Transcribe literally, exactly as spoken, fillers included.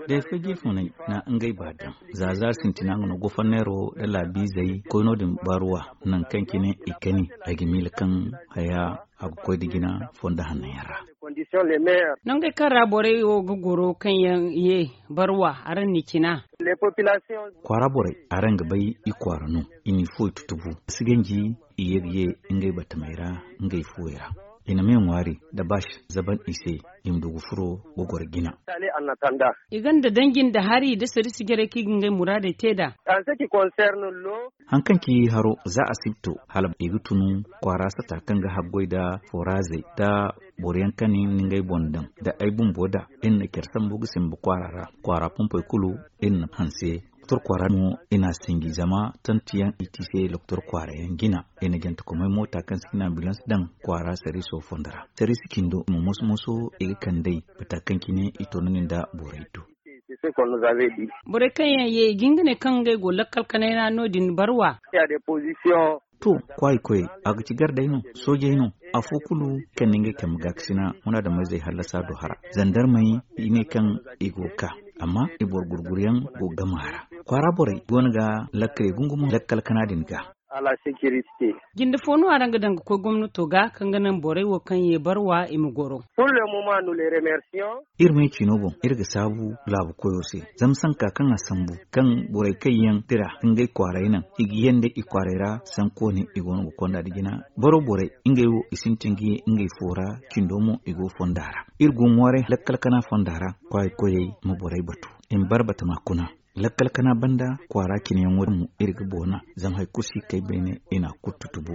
Day fo jiifunay na ngey ba daŋ za zaari sintina nga no goforneero nda laabiizey koy no- din baruwa. Nangu kaŋ cine i kani ay ga miila kaŋ haya a ga koy nda jina fonda hanno yaŋ ra. Nangey kaŋ ra borey wo ga goro kaŋ yaŋ ye barwa araŋ n'i cina. Kwaara borey araŋ ga bay i kwaara no. I n'i fuwey tutubu a si ganji i ye ga ye ngey batamey ra ngey fuwey ra. I na me ŋwaari nda baash zaban i se i ma du ga furo ga goro jina. I gonda danji nda hari nda sarisi jarey kaŋ i ga ngey muraadey te nd'a. Haŋ kaŋ ci haro za a si ga to hala i ga tun kwaara sata kaŋ ga haggoy nda foraazey nda boro yaŋ kaŋ i na ngey boŋ daŋ nda ay bumbo nd'a. Iri na care sambu ga simba kwaara ra kwaara pompey kulu iri na hanse. Doktor kwaara no i n'a sinji zama tanti yaŋ i ti se doktor kwaara yaŋ jina. I na jantekomey moota kaŋ se i na ambulans daŋ kwaara sariiso fondo ra. Sariisi cindo i ma moso moso i ga kand'ey bata kaŋ cine i to no- din nda borey do. Borey kaŋ yaŋ ye i ga hin ga ne kaŋ ngey go lakkal kanay ra no- din barwa. To, kwaayi koyey, a ga ci gardey no, soojey no. Afo kulu kaŋ na ngey kambe gaakasina munaadamizey hallasa do hara zandarmey i ne kaŋ i go ga ka. Amma i boro gurguryaŋ go ga gama a ra. Kwaara borey go no ga lakkaley gungumo lakkal kana din ga. Jinde fo no araŋ ga daŋ ga koy gomnato ga kaŋ ga naŋ borey wo kaŋ ye barwa i ma goro. Iri me ciino boŋ iri ga saabu laabu koyo se. Zama sanka kaŋ a sambu kaŋ borey kaŋ yaŋ tira ngey kwaaray naŋ i ga yanda i kwaaray ra sankoone i go no ga konda nda jina. Boro borey ngey wo i sintin ga ye ngey fo ra. Cindo mo i go fonda ra. Iri go ŋwaaray lakkal kana fonda ra. Kwaayi koyey ma borey batu i ma barbata ma kuna. Lakkal kana banda kwaara cinayaŋo din mo iri ga boona. Zama hari kulu si kay beene i na a kulu tutubu.